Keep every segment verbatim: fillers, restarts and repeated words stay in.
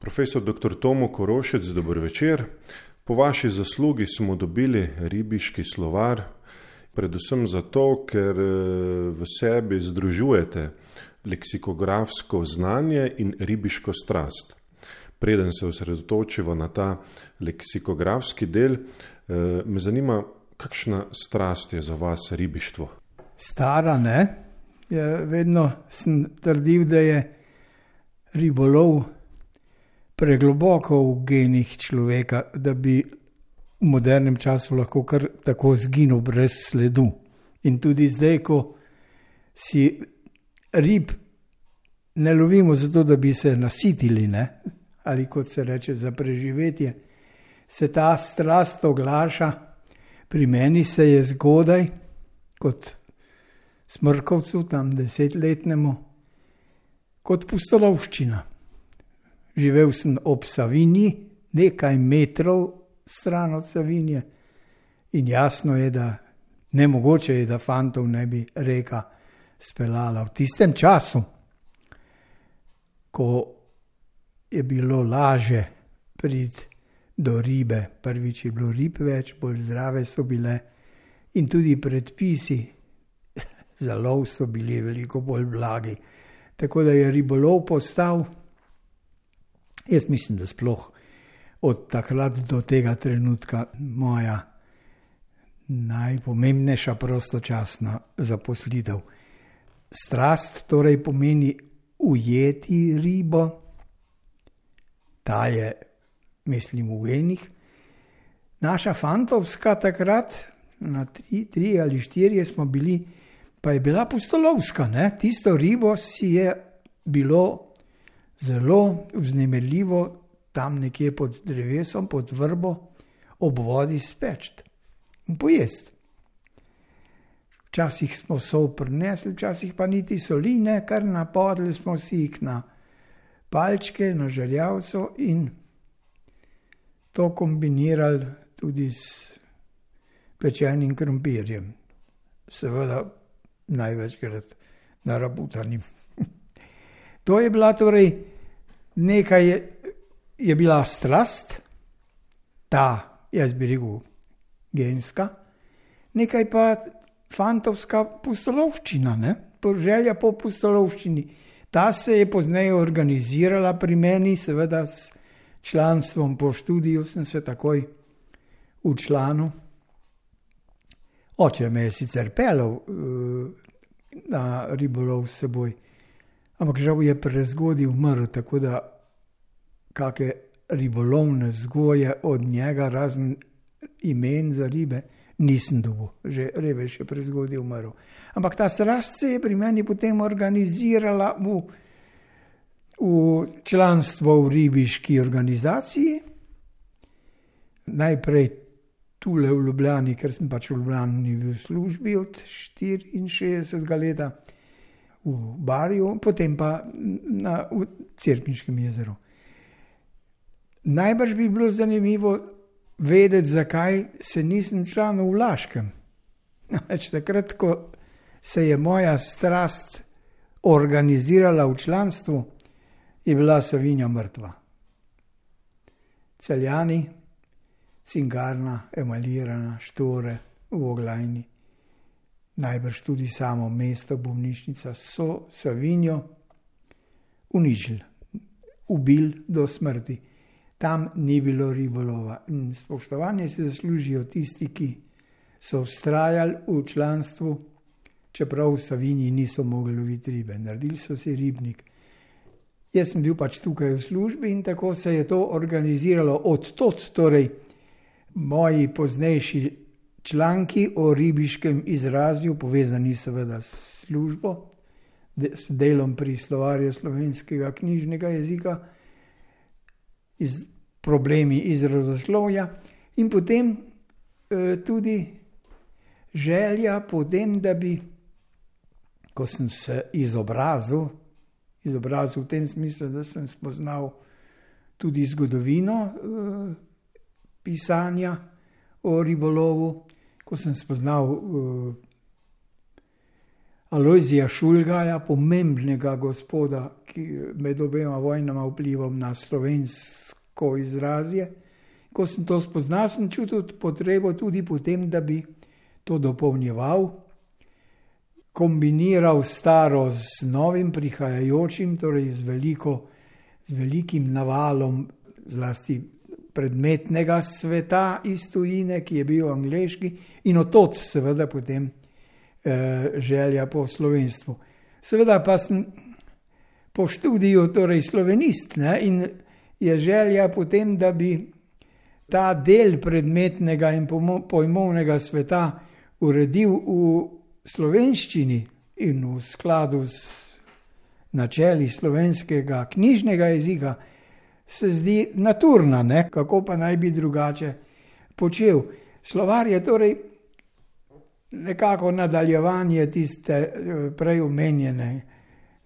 Profesor doktor Tomo Korošec, dober večer. Po vaši zaslugi smo dobili ribiški slovar, predvsem zato, ker v sebi združujete leksikografsko znanje in ribiško strast. Preden se osredotočivo na ta leksikografski del, me zanima, kakšna strast je za vas ribištvo? Stara, ne? Ja, vedno sem trdil, da je ribolov pregloboko v genih človeka, da bi v modernem času lahko kar tako zginil brez sledu. In tudi zdaj, ko si rib ne lovimo zato, da bi se nasitili, ne? Ali kot se reče za preživetje, se ta strast oglaša. Pri meni se je zgodaj, kot Smrkovcu, tam desetletnemu, kot pustolovščina. Živel sem ob Savinji, nekaj metrov stran od Savinje, in jasno je, da nemogoče je, da fantov ne bi reka speljala. V tistem času, ko je bilo laže priti do ribe, prvič je bilo rib več, bolj zdrave so bile, in tudi predpisi za lov so bili veliko bolj blagi. Tako da je ribolov postal, jaz mislim, da sploh od takrat do tega trenutka moja najpomembnejša prostočasna zaposlitev. Strast torej pomeni ujeti ribo, ta je, mislim, v genih. Naša fantovska takrat, na tri, tri ali štirje smo bili, pa je bila pustolovska, ne? Tisto ribo si je bilo zelo vznemirljivo tam nekje pod drevesom, pod vrbo, ob vodi speč in pojesti. Včasih smo sol prinesli, včasih pa niti soli, ne, kar napodli smo si jih na palčke, na žerjavco in to kombinirali tudi s pečenim krompirjem. Seveda največkrat narabutanim. To je bila torej nekaj, je, je bila strast, ta, jaz bi rekel, genska, nekaj pa fantovska pustolovščina, ne? Želja po pustolovščini. Ta se je pozneje organizirala pri meni, seveda s članstvom po študiju sem se takoj včlanil. Oče me je sicer peljal uh, na ribolov s seboj, ampak žal je prezgodaj umrl, tako da kakšne ribolovne vzgoje od njega, razen imen za ribe, nisem dobil. Že revež je prezgodaj umrl. Ampak ta strast se je pri meni potem organizirala v, v članstvo v ribiški organizaciji. Najprej tule v Ljubljani, ker sem pač v Ljubljani v službi od štiriinšestdesetega leta, v Barju, potem pa na, v Cerkniškem jezeru. Najbrž bi bilo zanimivo vedeti, zakaj se nisem članil v Laškem. Več takrat, ko se je moja strast organizirala v članstvu, je bila Savinja mrtva. Celjani, Cingarna, emalirana, Štore, v Oglajni, najbrž tudi samo mesto, bolnišnica, so Savinjo uničili, ubili do smrti. Tam ni bilo ribolova. In spoštovanje se zaslužijo tisti, ki so vztrajali v članstvu, čeprav v Savinji niso mogli loviti ribe. Naredili so si ribnik. Jaz sem bil pač tukaj v službi in tako se je to organiziralo. Od tod, torej, moji poznejši članki o ribiškem izrazju, povezani seveda s službo, s delom pri slovarju slovenskega knjižnega jezika, iz problemi izrazoslovja in potem e, tudi želja potem, da bi, ko sem se izobrazil, izobrazil v tem smislu, da sem spoznal tudi zgodovino e, pisanja o ribolovu, ko sem spoznal e, Alojzija Šulgaja, pomembnega gospoda, ki med obema vojnama vplival na slovensko izrazje. Ko sem to spoznal, sem čutil potrebo tudi potem, da bi to dopolnjeval, kombiniral staro z novim prihajajočim, torej z, veliko, z velikim navalom zlasti predmetnega sveta iz tujine, ki je bil angleški, in od seveda potem eh, želja po slovenstvu. Seveda pa sem po študiju torej slovenist, ne, in je želja potem, da bi ta del predmetnega in pojmovnega sveta uredil v slovenščini in v skladu s načeli slovenskega knjižnega jezika, se zdi naturna, ne? Kako pa naj bi drugače počel. Slovar je torej nekako nadaljevanje tiste prej omenjene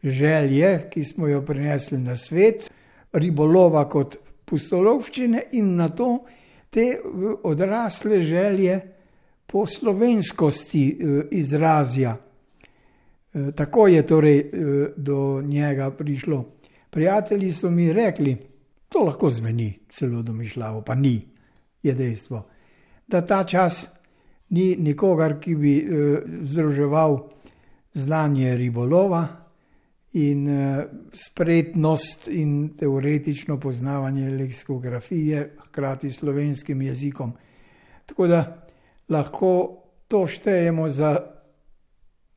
želje, ki smo jo prinesli na svet, ribolova kot pustolovščine in na to te odrasle želje po slovenskosti izrazja. Tako je torej do njega prišlo. Prijatelji so mi rekli, to lahko zveni celo domišljavo, pa ni, je dejstvo, da ta čas ni nikogar, ki bi združeval znanje ribolova in spretnost in teoretično poznavanje leksikografije, hkrati slovenskim jezikom. Tako da lahko to štejemo za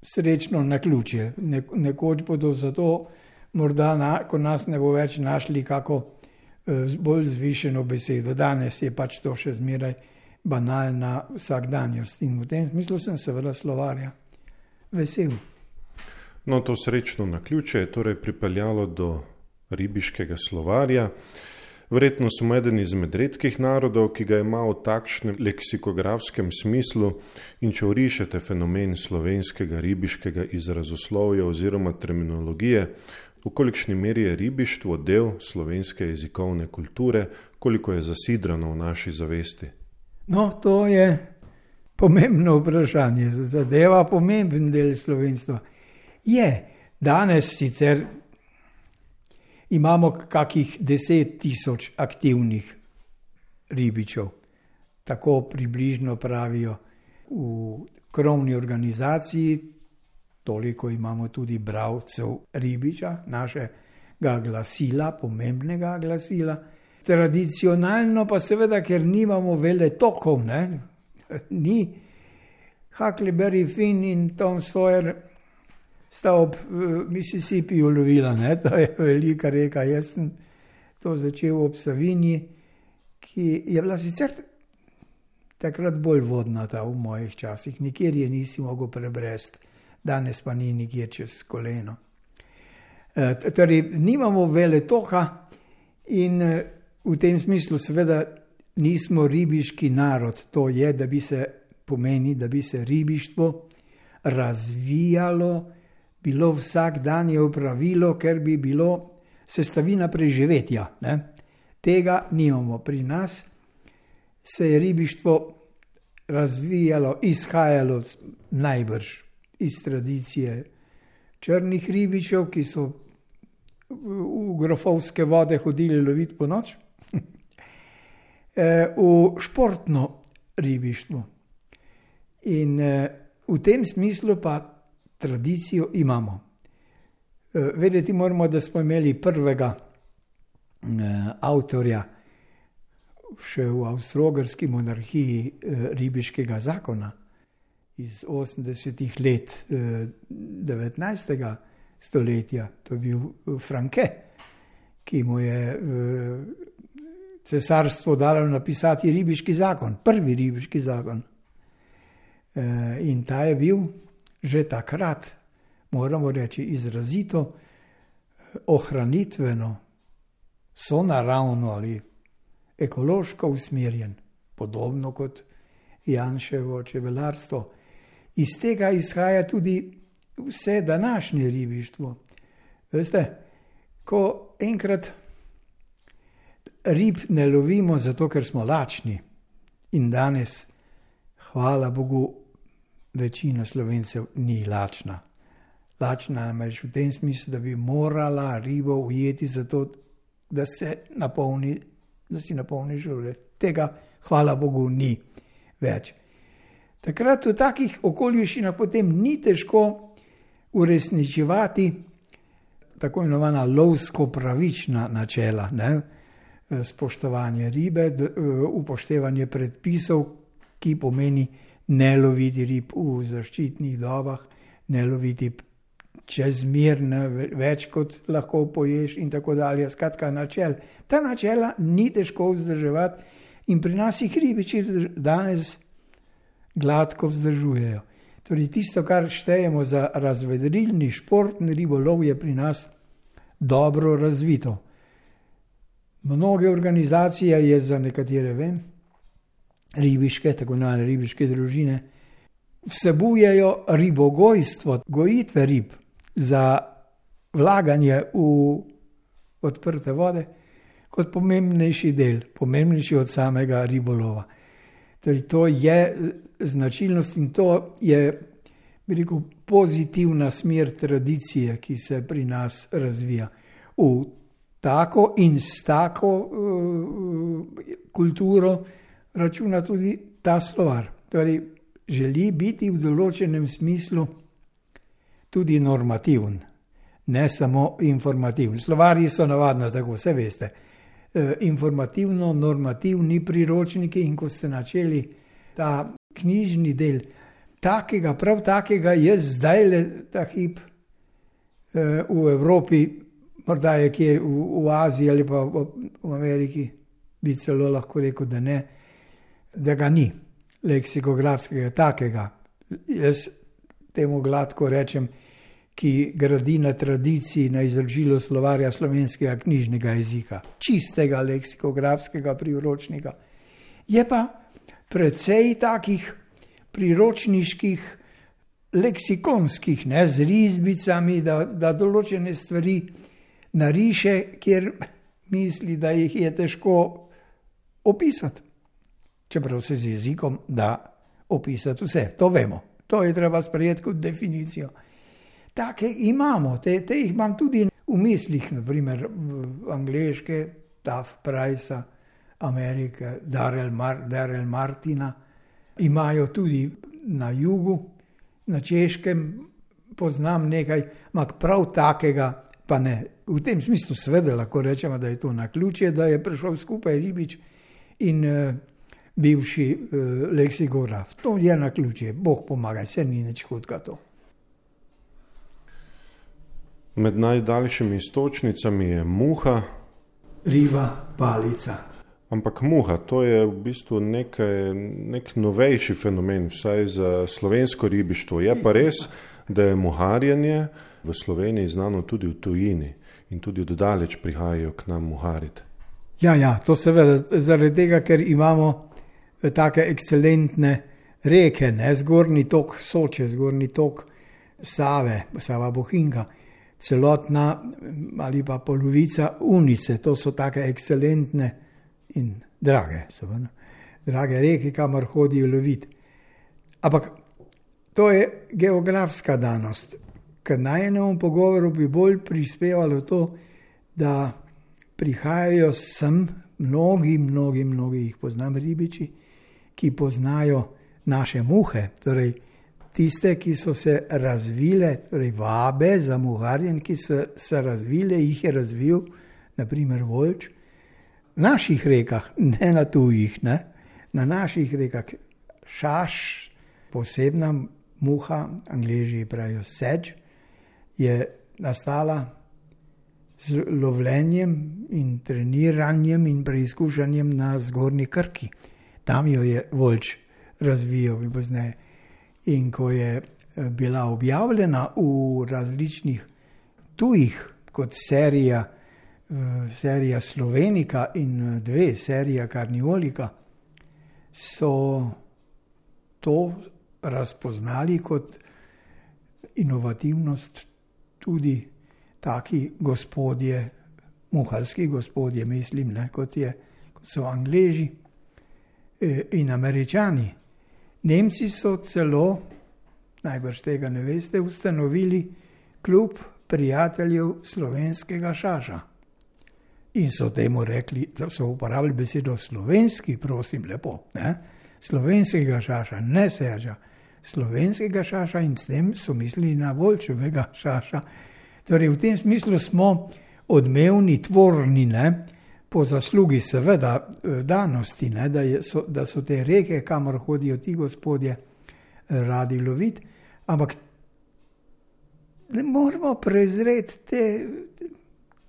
srečno naključje. Nekoč bodo zato morda, na, ko nas ne bo več našli, kako bolj zvišeno besedo. Danes je pač to še zmeraj banalna vsakdanjost in v tem smislu sem seveda slovarja vesel. No, to srečno naključje je torej pripeljalo do ribiškega slovarja. Verjetno smo eden izmed redkih narodov, ki ga ima v takšnem leksikografskem smislu, in če orišete fenomen slovenskega ribiškega izrazoslovja oziroma terminologije, v kolikšni meri je ribištvo del slovenske jezikovne kulture, koliko je zasidrano v naši zavesti? No, to je pomembno vprašanje, zadeva pomemben del slovenstva. Je, danes sicer imamo kakih deset tisoč aktivnih ribičev, tako približno pravijo v krovni organizaciji, toliko imamo tudi bralcev ribiča, našega glasila, pomembnega glasila. Tradicionalno pa seveda, ker nimamo veletokov, ne, ni Huckleberry Finn in Tom Sawyer sta ob Mississippiju lovila, ne, to je velika reka. Jaz sem to začel ob Savinji, ki je bila sicer takrat bolj vodnata v mojih časih, nikjer je nisi mogel prebresti. Danes pa ni nikjer čez koleno. E, torej, nimamo veletoka in v tem smislu seveda nismo ribiški narod. To je, da bi se pomeni, da bi se ribištvo razvijalo, bilo vsakdanje opravilo, ker bi bilo sestavina preživetja. Ne? Tega nimamo. Pri nas se je ribištvo razvijalo, izhajalo najbrž iz tradicije črnih ribičev, ki so v grofovske vode hodili loviti po noč, v športno ribištvo. In v tem smislu pa tradicijo imamo. Vedeti moramo, da smo imeli prvega avtorja še v Avstro-Ogrski monarhiji ribiškega zakona iz osemdesetih let devetnajstega stoletja. To je bil Franke, ki mu je cesarstvo dalo napisati ribiški zakon, prvi ribiški zakon. In ta je bil že takrat, moramo reči, izrazito ohranitveno, sonaravno ali ekološko usmerjen, podobno kot Janševo čebelarstvo. Iz tega izhaja tudi vse današnje ribištvo. Veste, ko enkrat rib ne lovimo zato, ker smo lačni, in danes, hvala Bogu, večina Slovencev ni lačna. lačna, namreč v tem smislu, da bi morala ribo ujeti zato, da se napolni, da si napolni želutek. Tega, hvala Bogu, ni več. Takrat v takih okoliščinah potem ni težko uresničevati tako imenovana lovsko-pravična načela, ne? Spoštovanje ribe, upoštevanje predpisov, ki pomeni ne loviti rib v zaščitnih dobah, ne loviti čezmerno več, kot lahko poješ in tako dalje. Skratka, načel. Ta načela ni težko vzdrževati in pri nas jih ribiči danes gladko vzdržujejo. Torej, tisto, kar štejemo za razvedrilni športni ribolov, je pri nas dobro razvito. Mnoge organizacije, je za nekatere vem, ribiške, tako imenovane ribiške družine, vsebujejo ribogojstvo, gojitve rib za vlaganje v odprte vode kot pomembnejši del, pomembnejši od samega ribolova. Torej, to je značilnost in to je, bi rekel, pozitivna smer tradicije, ki se pri nas razvija. V tako in s tako uh, kulturo računa tudi ta slovar. Torej, želi biti v določenem smislu tudi normativen, ne samo informativen. Slovarji so navadno tako, vse veste. Uh, informativno-normativni priročniki in ko ste načeli ta knjižni del, takega, prav takega je zdaj le ta hip uh, v Evropi, morda je kje v, v Aziji ali pa v, v Ameriki, bi celo lahko rekel, da ne, da ga ni leksikografskega takega. Jaz temu gladko rečem, ki gradi na tradiciji, na izročilu slovarja slovenskega knjižnega jezika, čistega leksikografskega priročnika. Je pa precej takih priročniških, leksikonskih, ne, z risbicami, da, da določene stvari nariše, kjer misli, da jih je težko opisati. Čeprav se z jezikom da opisati vse, to vemo. To je treba sprejeti kot definicijo. Take imamo, te, te jih imam tudi v mislih, naprimer angleške, Taft Price, Amerike, Darrell, Mar, Darrell Martina. Imajo tudi na jugu, na Češkem, poznam nekaj, ampak prav takega pa ne. V tem smislu seveda lahko rečemo, da je to naključje, da je prišel skupaj ribič in uh, bivši uh, leksikograf. To je naključje, Bog pomaga, se ni nič hudega to. Med najdaljšimi istočnicami je muha. Riba, palica. Ampak muha, to je v bistvu nekaj, nek novejši fenomen, vsaj za slovensko ribištvo. Je pa res, da je muharjenje v Sloveniji znano tudi v tujini in tudi dodaleč prihajajo k nam muhariti. Ja, ja, to seveda zaradi tega, ker imamo take ekscelentne reke, ne, zgornji tok Soče, zgornji tok Save, Sava Bohinjka, celotna ali pa polovica Unice, to so take ekscelentne in drage, seveda, drage reke, kamor hodijo loviti. Ampak to je geografska danost. K najnemu pogovoru bi bolj prispevalo to, da prihajajo sem mnogi, mnogi, mnogi jih poznam ribiči, ki poznajo naše muhe, torej tiste, ki so se razvile, torej vabe za muharjenje, ki so se razvile, jih je razvil, naprimer Volč, v naših rekah, ne na tujih, ne, na naših rekah. Šaš, posebna muha, Angleži pravijo sedge, je nastala z lovljenjem in treniranjem in preizkušanjem na zgornji Krki. Tam jo je Volč razvijal in pozneje. In ko je bila objavljena v različnih tujih, kot serija, serija Slovenika in dve, serija Karniolika, so to razpoznali kot inovativnost tudi taki gospodje, muharski gospodje, mislim, ne, kot, je, kot so Angleži in Američani. Nemci so celo, najbrž tega ne veste, ustanovili klub prijateljev slovenskega šaša. In so temu rekli, da so uporabili besedo slovenski, prosim lepo, ne? Slovenskega šaša, ne Serža, slovenskega šaša, in s tem so mislili na Volčevega šaša. Torej v tem smislu smo odmevni, tvorni, ne? Po zaslugi seveda danosti, ne? Da, je, so, da so te reke, kamor hodijo ti gospodje, radi loviti, ampak ne moramo prezreti te,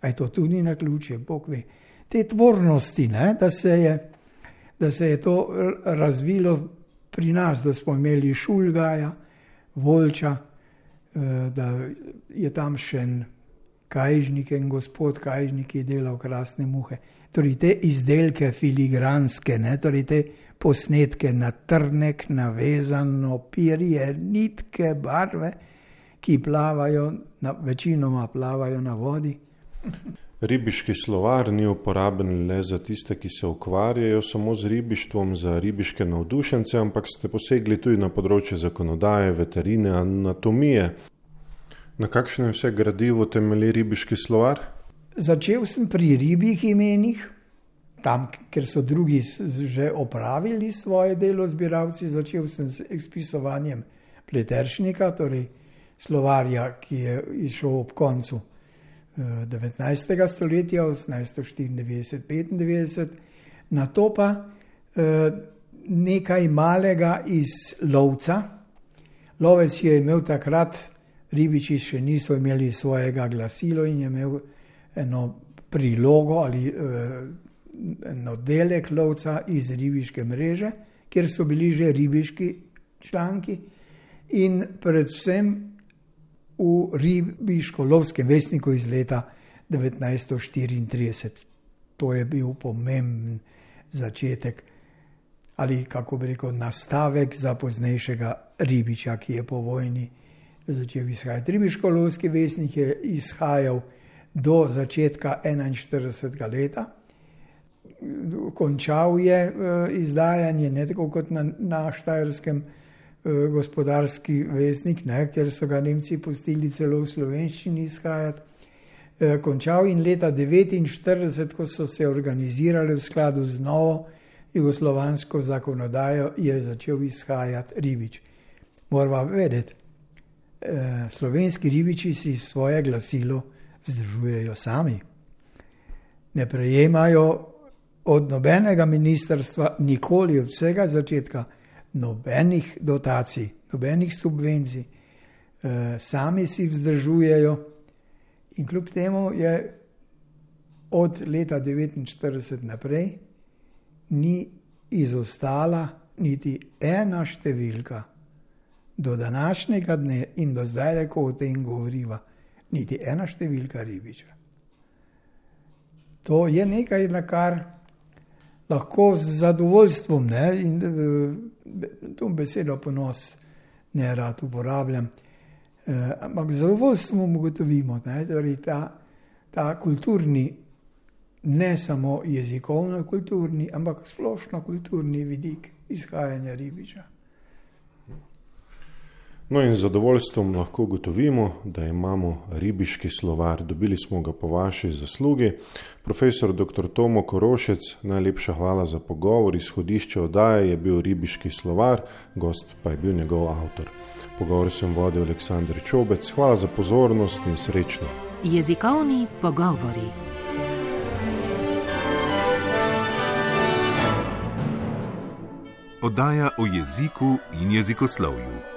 aj to tudi na ključe, Bog ve, te tvornosti, ne? Da se je, da se je to razvilo pri nas, da smo imeli Šulgaja, Volča, da je tam še en Kajžnik, en gospod Kajžnik, ki je delal krasne muhe. Torej te izdelke filigranske, ne? Torej te posnetke na trnek, navezano pirje, nitke, barve, ki plavajo, na, večinoma plavajo na vodi. Ribiški slovar ni uporaben le za tiste, ki se ukvarjajo samo z ribištvom, za ribiške navdušence, ampak ste posegli tudi na področje zakonodaje, veterine, anatomije. Na kakšnem vse gradivu temelji ribiški slovar? Začel sem pri ribjih imenih, tam, ker so drugi že opravili svoje delo, zbiralci. Začel sem s izpisovanjem Pleteršnika, torej slovarja, ki je išel ob koncu devetnajstega stoletja, osemnajststo štiriindevetdeset petindevetdeset, na to pa nekaj malega iz lovca. Lovec je imel takrat, ribiči še niso imeli svojega glasilo in je imel eno prilogo ali eno delek lovca iz ribiške mreže, kjer so bili že ribiški članki in predvsem v ribiško-lovskem vestniku iz leta devetnajststo štiriintrideset. To je bil pomemben začetek ali, kako bi rekel, nastavek za poznejšega ribiča, ki je po vojni začel izhajati. Ribiško-lovski vestnik je izhajal do začetka enainštiridesetega leta. Končal je izdajanje, ne tako kot na, na Štajerskem, gospodarski vestnik, ne, ker so ga Nemci pustili celo v slovenščini izhajati. E, končal in leta devetinštirideset, ko so se organizirali v skladu z novo jugoslovansko zakonodajo, je začel izhajati ribič. Moramo vedeti, e, slovenski ribiči si svoje glasilo vzdržujejo sami. Ne prejemajo od nobenega ministrstva nikoli od vsega začetka nobenih dotacij, nobenih subvencij, e, sami si vzdržujejo in kljub temu je od leta devetinštirideset naprej ni izostala niti ena številka do današnjega dne in do zdaj, ko o tem govoriva, niti ena številka ribiča. To je nekaj, na kar lahko z zadovoljstvom, ne, in to besedo ponos ne rad uporabljam, eh, ampak z zadovoljstvom ugotovimo, ne, torej ta, ta kulturni, ne samo jezikovno kulturni, ampak splošno kulturni vidik izhajanja ribiča. No in z zadovoljstvom lahko ugotovimo, da imamo ribiški slovar. Dobili smo ga po vaši zaslugi. Profesor doktor Tomo Korošec, najlepša hvala za pogovor. Izhodišče oddaje je bil ribiški slovar, gost pa je bil njegov avtor. Pogovor sem vodil Aleksander Čobec. Hvala za pozornost in srečno. Jezikovni pogovori. Oddaja o jeziku in jezikoslovju.